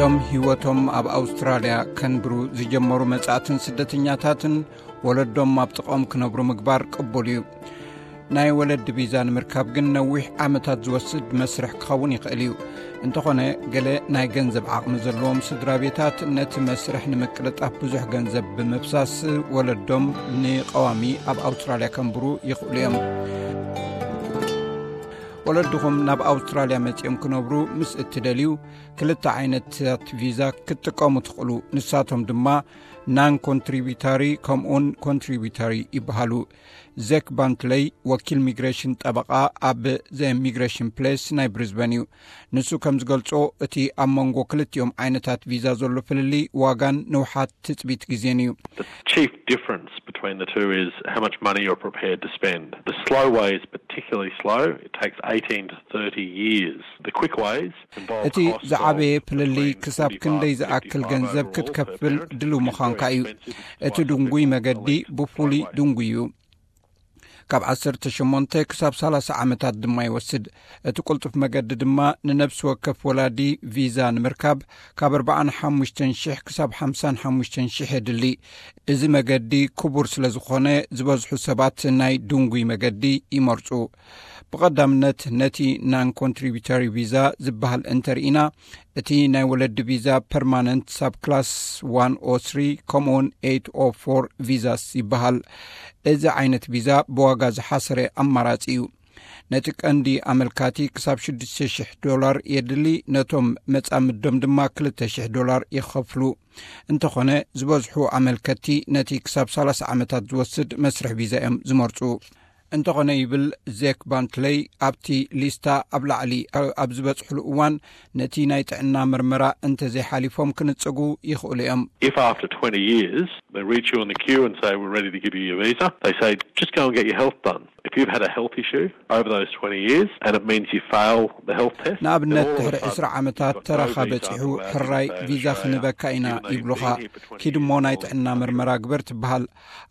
እቶም ህይወቶም ኣብ ኣውስትራልያ ከንብሩ ዝጀመሩ መጻእትን ስደተኛታትን ወለዶም ኣብ ጥቕኦም ክነብሩ ምግባር ቅቡል እዩ። ናይ ወለዲ ቪዛ ንምርካብ ግን ነዊሕ ዓመታት ዝወስድ መስርሕ ክኸውን ይኽእል እዩ። እንተኾነ፣ ገለ ናይ ገንዘብ ዓቕሚ ዘለዎም ስድራ ቤታት ነቲ መስርሕ ንምቅልጣፍ ብዙሕ ገንዘብ ብምፍሳስ ወለዶም ንቀዋሚ ኣብ ኣውስትራልያ ከንብሩ ይኽእሉ እዮም። ወለድኹም ናብ ኣውስትራልያ መጺኦም ክነብሩ ምስ እትደልዩ፣ ክልተ ዓይነታት ቪዛ ክትጥቀሙ ትኽእሉ። ንሳቶም ድማ ናን ኮንትሪቢታሪ ከምኡን ኮንትሪቢታሪ ይበሃሉ። ዜክ ባንትለይ፣ ወኪል ሚግሬሽን ጠበቓ ኣብ ዘ ሚግሬሽን ፕሌስ ናይ ብሪዝበን እዩ። ንሱ ከም ዝገልጾ፣ እቲ ኣብ መንጎ ክልቲኦም ዓይነታት ቪዛ ዘሎ ፍልልይ ዋጋን ንውሓት ትጽቢት ግዜን እዩ። The chief difference between the two is how much money you're prepared to spend. The slow way is particularly slow. It takes eighteen to thirty years. The quick ways involve እቲ ዝዓበየ ፍልልይ ክሳብ ክንደይ ዝኣክል ገንዘብ ክትከፍል ድልው ምዃንካ እዩ። እቲ ድንጉይ መገዲ ብፍሉይ ድንጉይ እዩ። ካብ ዓሰርተ ሸሞንተ ክሳብ ሰላሳ ዓመታት ድማ ይወስድ። እቲ ቅልጡፍ መገዲ ድማ ንነብሲ ወከፍ ወላዲ ቪዛ ንምርካብ ካብ ኣርባዓን ሓሙሽተን ሽሕ ክሳብ ሓምሳን ሓሙሽተን ሽሕ የድሊ። እዚ መገዲ ክቡር ስለ ዝኾነ፣ ዝበዝሑ ሰባት ናይ ድንጉይ መገዲ ይመርጹ። ብቐዳምነት ነቲ ናን ኮንትሪቢተሪ ቪዛ ዝበሃል እንተርኢና፣ እቲ ናይ ወለዲ ቪዛ ፐርማነንት ሳብ ክላስ ዋን ኦ ስሪ ከምኡውን ኤይት ኦ ፎር ቪዛስ ይበሃል። እዚ ዓይነት ቪዛ ብዋጋ ዝሓሰረ ኣማራጺ እዩ። ነቲ ቀንዲ ኣመልካቲ ክሳብ ሽዱሽተ ሽሕ ዶላር የድሊ፣ ነቶም መጻምዶም ድማ ክልተ ሽሕ ዶላር ይኸፍሉ። እንተኾነ፣ ዝበዝሑ ኣመልከቲ ነቲ ክሳብ ሰላሳ ዓመታት ዝወስድ መስርሕ ቪዛ እዮም ዝመርጹ። እንተኾነ፣ ይብል ዜክ ባንትለይ፣ ኣብቲ ሊስታ ኣብ ላዕሊ ኣብ ዝበጽሕሉ እዋን፣ ነቲ ናይ ጥዕና መርመራ እንተዘይሓሊፎም ክንጽጉ ይኽእሉ እዮም። If after twenty years they reach you in the queue and say, "We're ready to give you your visa," they say, "Just go and get your health done." If you've had a health issue over those twenty years and it means you fail the health test, ንኣብነት፣ ድሕሪ ዕስራ ዓመታት ተራኻ በጺሑ፣ ሕራይ ቪዛ ክንበካ ኢና ይብሉኻ። ኪድ እሞ ናይ ጥዕና መርመራ ግበር ትበሃል።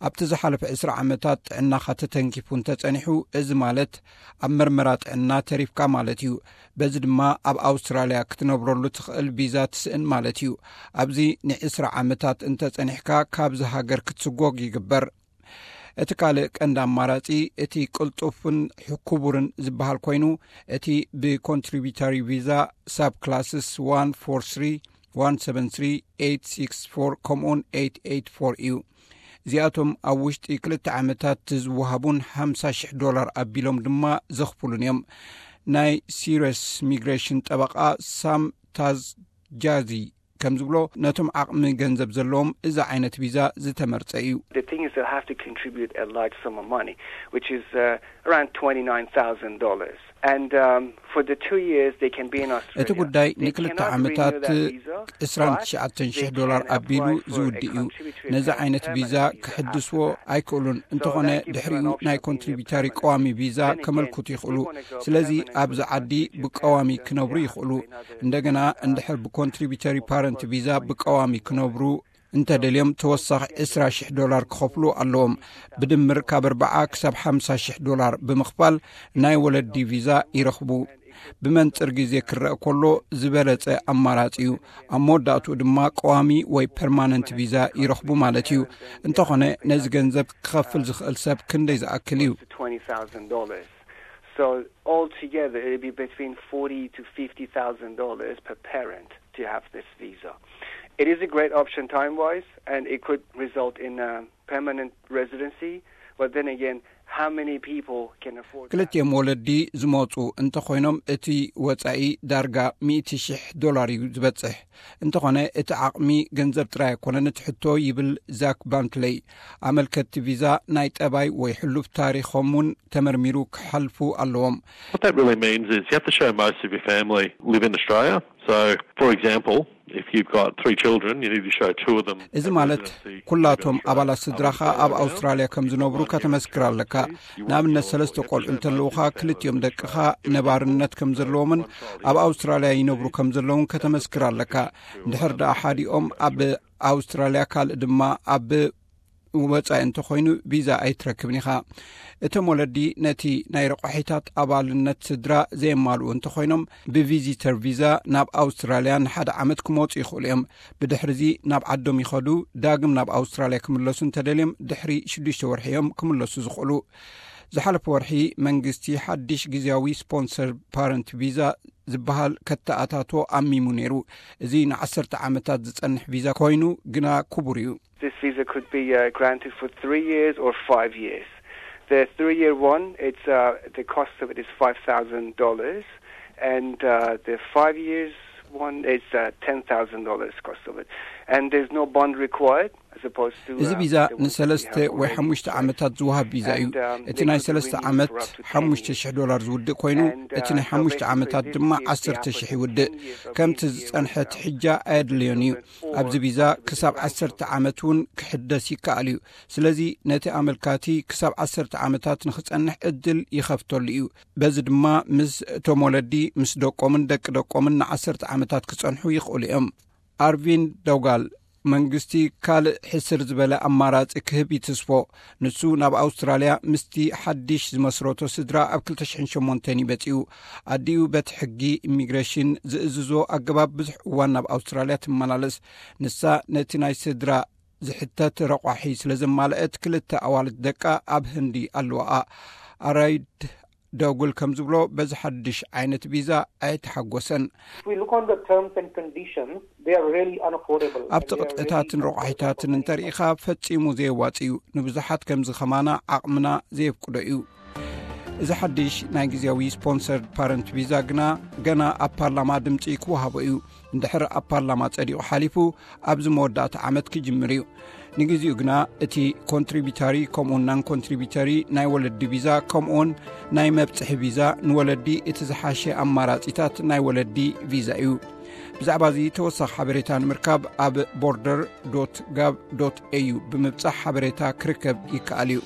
ኣብቲ ዝሓለፈ ዕስራ ዓመታት ጥዕናኻ ተተንኪፉ እንተጸኒሑ፣ እዚ ማለት ኣብ መርመራ ጥዕና ተሪፍካ ማለት እዩ። በዚ ድማ ኣብ ኣውስትራልያ ክትነብረሉ ትኽእል ቪዛ ትስእን ማለት እዩ። ኣብዚ ንዕስራ ዓመታት እንተጸኒሕካ፣ ካብዚ ሃገር ክትስጎግ ይግበር። እቲ ካልእ ቀንዲ ኣማራጺ፣ እቲ ቅልጡፍን ክቡርን ዝበሃል ኮይኑ፣ እቲ ብኮንትሪቢተሪ ቪዛ ሳብ ክላስስ ዋን ፎር ስሪ፣ ዋን ሰቨን ስሪ፣ ኤይት ሲክስ ፎር ከምኡውን ኤይት ኤይት ፎር እዩ። እዚኣቶም ኣብ ውሽጢ ክልተ ዓመታት ዝወሃቡን ሓምሳ ሽሕ ዶላር ኣቢሎም ድማ ዘኽፍሉን እዮም። ናይ ሲሪየስ ሚግሬሽን ጠበቓ ሳም ታዝጃዚ ከም ዝብሎ፣ ነቶም ዓቕሚ ገንዘብ ዘለዎም እዚ ዓይነት ቪዛ ዝተመርጸ እዩ። The thing is, they'll have to contribute a large sum of money, which is uh, around twenty-nine thousand dollars. And um, for the two years they can be in Australia, እቲ ጉዳይ ንክልተ ዓመታት ዕስራን ትሽዓተን ሽሕ ዶላር ኣቢሉ ዝውድእ እዩ። ነዚ ዓይነት ቪዛ ክሕድስዎ ኣይክእሉን። እንተኾነ፣ ድሕሪኡ ናይ ኮንትሪቢተሪ ቀዋሚ ቪዛ ከመልክቱ ይኽእሉ። ስለዚ ኣብዚ ዓዲ ብቀዋሚ ክነብሩ ይኽእሉ። እንደገና፣ እንድሕር ብኮንትሪቢተሪ ፓረንት ቪዛ ብቀዋሚ ክነብሩ እንተደልዮም፣ ተወሳኺ ዕስራ ሽሕ ዶላር ክኸፍሉ ኣለዎም። ብድምር ካብ ኣርባዓ ክሳብ ሓምሳ ሽሕ ዶላር ብምኽፋል ናይ ወለዲ ቪዛ ይረኽቡ። ብመንጽር ግዜ ክረአ ከሎ ዝበለጸ ኣማራጺ እዩ። ኣብ መወዳእትኡ ድማ ቀዋሚ ወይ ፐርማነንት ቪዛ ይረኽቡ ማለት እዩ። እንተኾነ፣ ነዚ ገንዘብ ክኸፍል ዝኽእል ሰብ ክንደይ ዝኣክል እዩ? Twenty thousand dollars. So altogether, it'd be between forty to fifty thousand dollars per parent to have this visa. It is a great option time-wise, and it could result in a permanent residency. But then again, how many people can afford that? ክልቲኦም ወለዲ ዝመጹ እንተኾይኖም፣ እቲ ወጻኢ ዳርጋ ሚእቲ ሽሕ ዶላር እዩ ዝበጽሕ። እንተኾነ፣ እቲ ዓቕሚ ገንዘብ ጥራይ ኣይኮነን እቲ ሕቶ፣ ይብል ዛክ ባንትለይ። ኣመልከትቲ ቪዛ ናይ ጠባይ ወይ ሕሉፍ ታሪኾም እውን ተመርሚሩ ክሓልፉ ኣለዎም። What that really means is you have to show most of your family live in Australia. So, for example, if you've got three children, you need to show two of them እዚ ማለት፣ ኩላቶም ኣባላት ስድራኻ ኣብ ኣውስትራልያ ከም ዝነብሩ ከተመስክር ኣለካ። ንኣብነት፣ ሰለስተ ቆልዑ እንተለውኻ፣ ክልቲኦም ደቅኻ ነባርነት ከም ዘለዎምን ኣብ ኣውስትራልያ ይነብሩ ከም ዘለውን ከተመስክር ኣለካ። እንድሕር ደኣ ሓዲኦም ኣብ ኣውስትራልያ፣ ካልእ ድማ ኣብ ወጻኢ እንተኾይኑ ቪዛ ኣይትረክብን ኢኻ። እቶም ወለዲ ነቲ ናይ ረቋሒታት ኣባልነት ስድራ ዘየማልኡ እንተኾይኖም ብቪዚተር ቪዛ ናብ ኣውስትራልያ ንሓደ ዓመት ክመጹ ይኽእሉ እዮም። ብድሕርዚ ናብ ዓዶም ይኸዱ። ዳግም ናብ ኣውስትራልያ ክምለሱ እንተደልዮም ድሕሪ ሽዱሽተ ወርሒ እዮም ክምለሱ ዝኽእሉ። ዝሓለፈ ወርሒ መንግስቲ ሓድሽ ግዜያዊ ስፖንሰር ፓረንት ቪዛ ዝበሃል ከተኣታቶ ኣሚሙ ነይሩ። እዚ ንዓሰርተ ዓመታት ዝጸንሕ ቪዛ ኮይኑ ግና ክቡር እዩ። This visa could be uh, granted for three years or five years. The three-year one, it's uh, the cost of it is five thousand dollars, and uh, the five years one is uh, ten thousand dollars cost of it, and there's no bond required. እዚ ቪዛ ንሰለስተ ወይ ሓሙሽተ ዓመታት ዝወሃብ ቪዛ እዩ። እቲ ናይ ሰለስተ ዓመት ሓሙሽተ ሽሕ ዶላር ዝውድእ ኮይኑ፣ እቲ ናይ ሓሙሽተ ዓመታት ድማ ዓሰርተ ሽሕ ይውድእ። ከምቲ ዝጸንሐ ትሕጃ ኣየድልዮን እዩ። ኣብዚ ቪዛ ክሳብ ዓሰርተ ዓመት እውን ክሕደስ ይከኣል እዩ። ስለዚ ነቲ ኣመልካቲ ክሳብ ዓሰርተ ዓመታት ንኽጸንሕ ዕድል ይኸፍተሉ እዩ። በዚ ድማ ምስ እቶም ወለዲ ምስ ደቆምን ደቂ ደቆምን ንዓሰርተ ዓመታት ክጸንሑ ይኽእሉ እዮም። ኣርቪን ደውጋል መንግስቲ ካልእ ሕስር ዝበለ ኣማራጺ ክህብ ይትስፎ። ንሱ ናብ ኣውስትራልያ ምስቲ ሓድሽ ዝመስረቶ ስድራ ኣብ ክልተ ሽሕን ሸሞንተን ይበጺኡ። ኣዲኡ በቲ ሕጊ ኢሚግሬሽን ዝእዝዞ ኣገባብ ብዙሕ እዋን ናብ ኣውስትራልያ ትመላለስ። ንሳ ነቲ ናይ ስድራ ዝሕተት ረቋሒ ስለ ዘማልአት ክልተ ኣዋልድ ደቃ ኣብ ህንዲ ኣለዋኣ። ኣራይድ ደጉል ከም ዝብሎ በዚ ሓድሽ ዓይነት ቪዛ ኣይተሓጎሰን። If we look on the terms and conditions, they are really unaffordable. ኣብቲ ቅጥዕታትን ረቋሒታትን እንተርኢኻ ፈጺሙ ዘየዋጽ እዩ። ንብዙሓት ከምዚ ከማና ዓቕምና ዘየፍቅዶ እዩ። እዚ ሓድሽ ናይ ግዜያዊ ስፖንሰርድ ፓረንት ቪዛ ግና ገና ኣብ ፓርላማ ድምጺ ክወሃቦ እዩ። እንድሕር ኣብ ፓርላማ ጸዲቑ ሓሊፉ ኣብዚ መወዳእታ ዓመት ክጅምር እዩ። ንግዜኡ ግና እቲ ኮንትሪቢተሪ ከምኡውን ናን ኮንትሪቢተሪ ናይ ወለዲ ቪዛ ከምኡውን ናይ መብጽሒ ቪዛ ንወለዲ እቲ ዝሓሸ ኣማራጺታት ናይ ወለዲ ቪዛ እዩ። ብዛዕባ እዚ ተወሳኺ ሓበሬታ ንምርካብ ኣብ ቦርደር ዶት ጋቭ ዶት ኤዩ ብምብጻሕ ሓበሬታ ክርከብ ይከኣል እዩ።